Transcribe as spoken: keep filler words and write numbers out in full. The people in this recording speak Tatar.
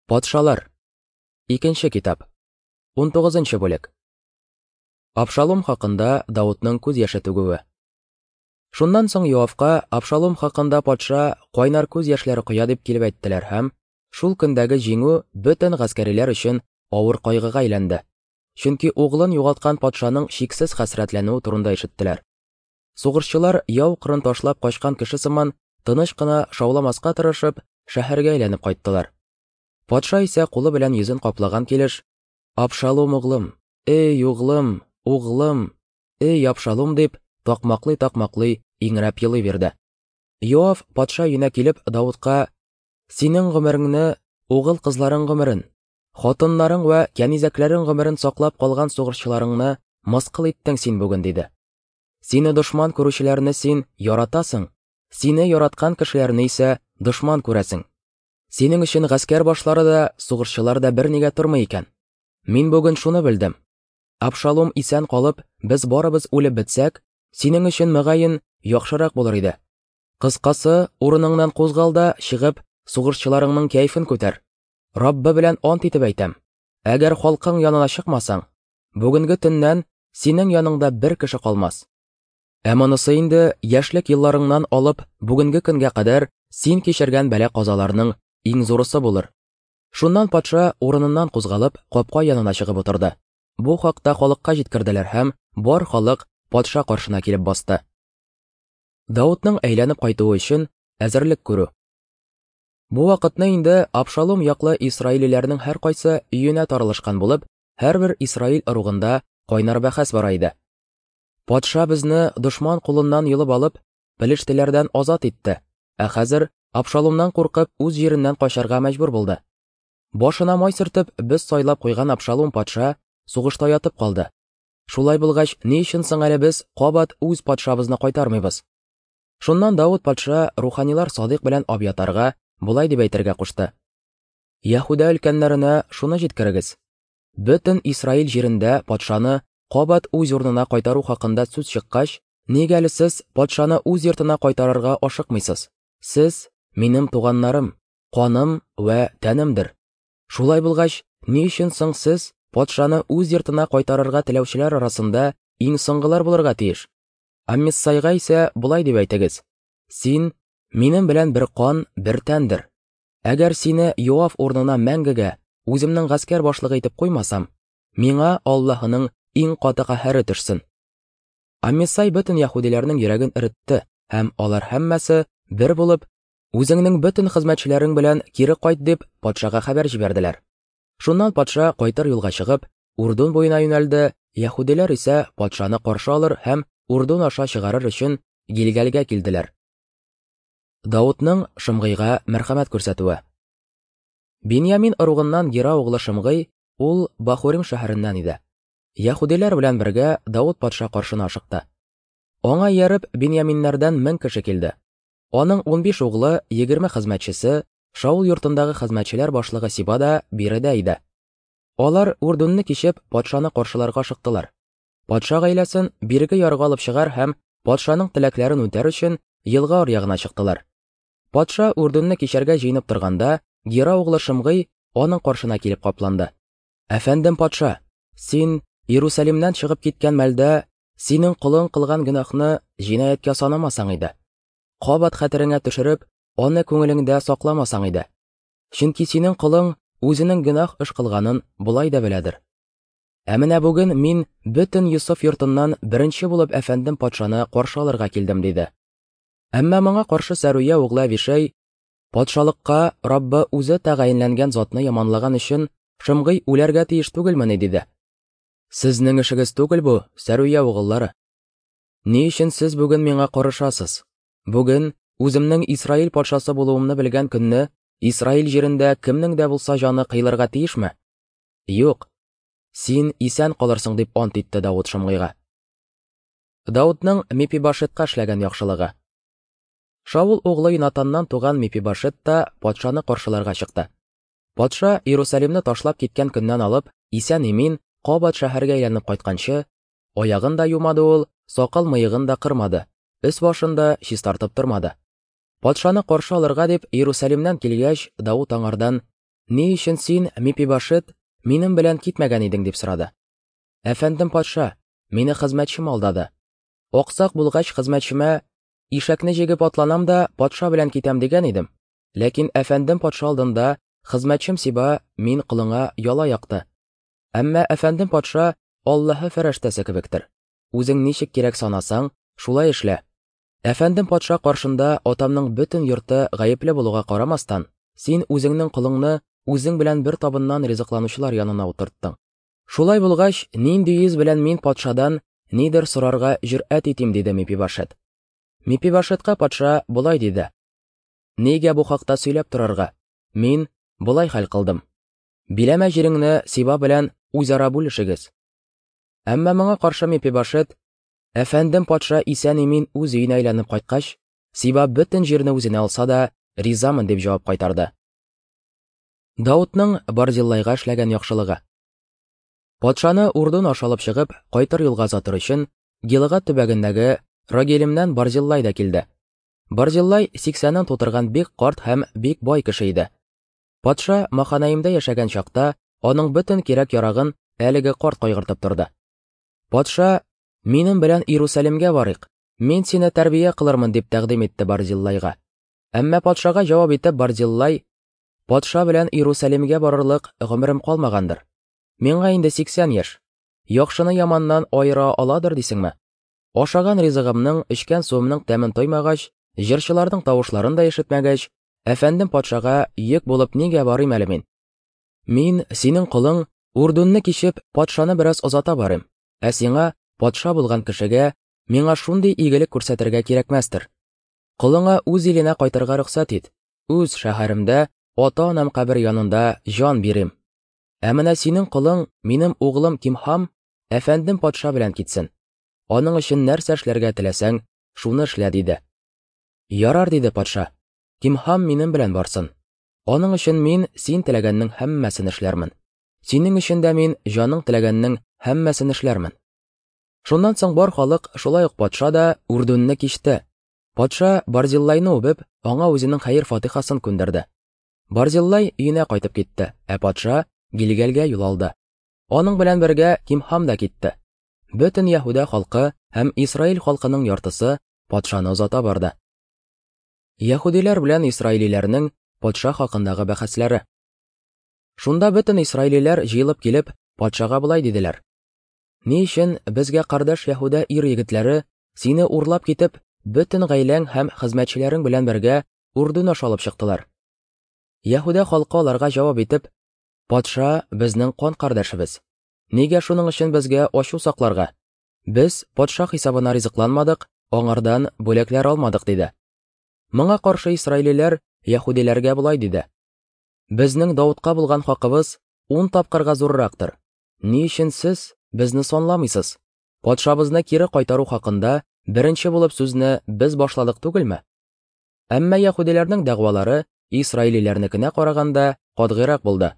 Патшалар. Икенче китап. Унтугызынчы бүлек. Абшалом хакында Давудның күз яше түгүе. Шуннан соң Йоавка Абшалом хакында патша кайнар күз яшьләре коя дип килеп әйттеләр һәм шул көндәге җиңү бөтен гаскәриләр өчен авыр кайгыга әйләнде. Чөнки углын югалткан патшаның чиксез хәсрәтләнүе турында ишеттеләр. Сугышчылар яу кырын ташлап качкан кеше сыман тыныч кына шауламаска тырышып шәһәргә әйләнеп кайттылар. Патша исә кулы белән йөзен каплаган килеш: "Абшалом углым, эй углым, углым, эй Абшалом" дип такмаклый-такмаклый иңрәп елый бирде. Йоав патша өенә килеп Давудка: "Синең гомереңне, угыл кызларың гомерен, хатыннарың вә кәнизәкләрең гомерен саклап калган сугышчыларыңны мыскыл иттең син бүген" диде. "Сине дошман күрүчеләрне син яратасың, сине яраткан кешеләрне исә дошман күрәсең. Синең өчен гаскәр башлары да, сугышчылар да бернигә тормый икән. Мин бүген шуны белдем. Абшалом исән калып, без барыбыз үлеп бетсәк, синең өчен мөгаен яхшырак булыр иде. Кыскасы, урыныңнан кузгал да чыгып, сугышчыларыңның кәефен күтәр. Раббы белән ант итеп әйтәм: әгәр халкың янына чыкмасаң, бүгенге төннән синең яныңда бер кеше калмас. Ә монысы инде яшьлек елларыңнан алып бүгенге көнгә кадәр син кичергән бәла-казаларның иң зурысы булыр." Шуннан патша урыныннан кузгалып, капка янына чыгып утырды. Бу хакта халыкка җиткерделәр һәм бар халык патша каршына килеп басты. Давудның әйләнеп кайтуы өчен әзерлек күрү. Бу вакытны инде Абшалом яклы исраилиләрнең һәркайсы өенә таралышкан булып, һәрбер Исраил ыругында кайнар бәхәс бара иде. Патша безне дошман кулыннан йолып алып, пелештеләрдән азат итте, ә хәзер Абшаломнан куркып үз җиреннән качарга мәҗбүр булды. Башына май сөртеп, без сайлап куйган Абшалом патша сугышта ятып калды. Шулай булгач, ни өчен соң әле без кабат үз патшабызны кайтармыйбыз? Шуннан Давуд патша руханилар Садыйк белән Абьятарга болай дип әйтергә кушты: "Яһүдә өлкәннәренә шуны җиткерегез: бөтен Исраил җирендә патшаны кабат үз урынына кайтару хакында сүз чыккач, нигә әле сез патшаны үз йортына кайтарырга ашыкмыйсыз? Сез минем туганнарым, каным вә тәнемдер. Шулай булгач, ни өчен соң сез патшаны үз йортына кайтарырга теләүчеләр арасында иң соңгылар булырга тиеш? Аммиссайга исә болай дип әйтегез: син минем белән бер кан, бер тәндер. Әгәр сине Йоав урынына мәңгегә үземнең гаскәр башлыгы итеп куймасам, миңа Аллаһының иң каты каһәре төшсен." Аммиссай бөтен яһүдиләрнең йөрәген эретте, һәм алар һәммәсе бер булып, "Үзеңнең бөтен хезмәтчеләрең белән кире кайт" дип патшага хәбәр җибәрделәр. Шуннан патша кайтыр юлга чыгып, Урдун буена юнәлде. Яһүдиләр исә патшаны каршы алыр һәм Урдун аша чыгарыр өчен Гилгалгә килделәр. Давудның Шымгыйга мәрхәмәт күрсәтүе. Биньямин ыругыннан Гера углы Шымгый, ул Бахурим шәһәреннән иде. Яһүдиләр белән бергә Давуд патша каршына ашыкты. Аңа ияреп Биньяминнәрдән мең кеше килде. Аның унбиш углы, егерме хезмәтчесе, Шаул йортындагы хезмәтчеләр башлыгы Сиба да биредә иде. Алар Урдунны кичеп патшаны каршыларга ашыктылар. Патша гаиләсен бирге ярга алып чыгар һәм патшаның теләкләрен үтәр өчен елга аръягына чыктылар. Патша Урдунны кичәргә җыенып торганда, Гера углы Шымгый аның каршына килеп капланды. "Әфәндем патша, син Иерусалимнән чыгып киткән мәлдә синең колың кылган гөнаһны җинаятькә санамасаң иде. Кабат хәтереңә төшереп, аны күңелеңдә сакламасаң иде. Чөнки синең колың үзенең гөнаһ эш кылганын болай да беләдер. Ә менә бүген мин бөтен Йосыф йортыннан беренче булып әфәндем патшаны каршы алырга килдем" диде. Әмма моңа каршы Сәруя углы Авишай: "Патшалыкка Раббы үзе тәгаенләнгән затны яманлаган өчен Шымгый үләргә тиеш түгелмени?" диде. "Сезнең эшегез түгел бу, Сәруя угыллары. Ни өчен сез бүген миңа карышасыз? Бүген үземнең Исраил патшасы булуымны белгән көнне Исраил җирендә кемнең дә булса җаны кыйлырга тиешме? Юк, син исән калырсың" дип ант итте Давуд Шымгыйга. Давудның Мепибашетка эшләгән яхшылыгы. Шаул углы Йонатаннан туган Мепибашет та патшаны каршыларга чыкты. Патша Иерусалимны ташлап киткән көннән алып, исән-имин кабат шәһәргә әйләнеп кайтканчы, аягын да юмады ул, сакал-мыегын да кырмады, өс башын да чистартып тормады. Патшаны каршы алырга дип Иерусалимнән килгәч, Давуд аңардан: Ни өчен син, Мепибошет, минем белән китмәгән идең? Дип сорады. Әфәндем патша, мине хезмәтчем алдады. Аксак булгач, хезмәтчемә: Ишәкне җигеп атланам да патша белән китәм дигән идем. Ләкин әфәндем патша алдында хезмәтчем Сиба мин колыңа яла якты. Әмма әфәндем патша Аллаһы фәрештәсе кебектер. Үзең ничек кирәк санасаң, шулай эшлә. Әфәндем патша каршында атамның бөтен йорты гаепле булуга карамастан, син үзеңнең колыңны үзең белән бер табыннан ризыкланучылар янына утырттың. Шулай булгач, нинди йөз белән мин патшадан нидер сорарга җөрьәт итим, диде Мепибошет. Мепибошетка патша болай диде: Нигә бу хакта сөйләп торырга? Мин болай хәл кылдым. Биләмә җиреңне Сиба белән үзара бүлешегез. Әмма моңа каршы Мепибошет: Әфәндем патша исән-имин үз өенә әйләнеп кайткач, Сиба бөтен җирне үзенә алса да, ризамын, дип җавап кайтарды. Даутның Барзиллайга эшләгән яхшылыгы. Патшаны Урдун аша алып чыгып, кайтыр юлга озатыр өчен, Гилгад төбәгендәге Рогелимнән Барзиллай да килде. Барзиллай сиксәнен тутырган бик карт һәм бик бай кеше иде. Патша Маханаимда яшәгән чакта аның бөтен кирәк-ярагын әлеге карт кайгыртып торды. Патша: Минем белән Иерусалимгә барыйк, мин сине тәрбия кылырмын, дип тәкъдим итте Барзиллайга. Әмма патшага җавап итеп Барзиллай: Патша белән Иерусалимгә барырлык гомерем калмагандыр. Миңа инде сиксән яшь. Яхшыны яманнан аера аладыр дисеңме? Ашаган ризыгымның, эчкән суымның тәмен тоймагач, җырчыларның тавышларын да ишетмәгәч, әфәндем патшага йөк булып нигә барыйм әле мин? Мин, синең колың, Урдунны кичеп, патшаны бераз озата барыйм. Ә сиңа, патша булган кешегә, миңа шундый игелек күрсәтергә кирәкмәстер. Колыңа үз иленә кайтырга рөхсәт ит. Үз шәһәремдә, ата-анам кабер янында җан бирим. Ә менә синең колың, минем углым Кимхам, әфәндем патша белән китсен. Аның өчен нәрсә эшләргә теләсәң, шуны эшлә, диде. Ярар, диде патша. Кимхам минем белән барсын. Аның өчен мин син теләгәннең һәммәсен эшләрмен. Синең өчен дә мин җаның теләгәннең һәммәсен эшләрмен. Шуннан соң бар халык, шулай ук патша да Урдунны кичте. Патша Барзиллайны үбеп, аңа үзенең хәер-фатихасын күндерде. Барзиллай өенә кайтып китте, ә патша Гилгәлгә юл алды. Аның белән бергә Кимхам да китте. Бөтен Яһүдә халкы һәм Исраил халкының яртысы патшаны озата барды. Яһүдиләр белән исраилиләрнең патша хакындагы бәхәсләре. Шунда бөтен исраилиләр җыелып килеп, патшага болай диделәр: Ни өчен безгә кардәш Яһүдә ир егетләре сине урлап китеп, бөтен гаиләң һәм хезмәтчеләрең белән бергә Урдун аша алып чыктылар? Яһүдә халкы аларга җавап итеп: Патша безнең кан кардәшебез. Нигә шуның өчен безгә ачу сакларга? Без патша хисабына ризыкланмадык, аңардан бүләкләр алмадык, диде. Моңа каршы исраилиләр яһүдиләргә болай диде: Безнең Даутка булган хакыбыз ун тапкырга зуррактыр. Ни өчен сез безне санламыйсыз? Патшабызны кире кайтару хакында беренче булып сүзне без башладык түгелме? Әмма яһүдиләрнең дәгъвалары исраилиләрнекенә караганда катгыйрак булды.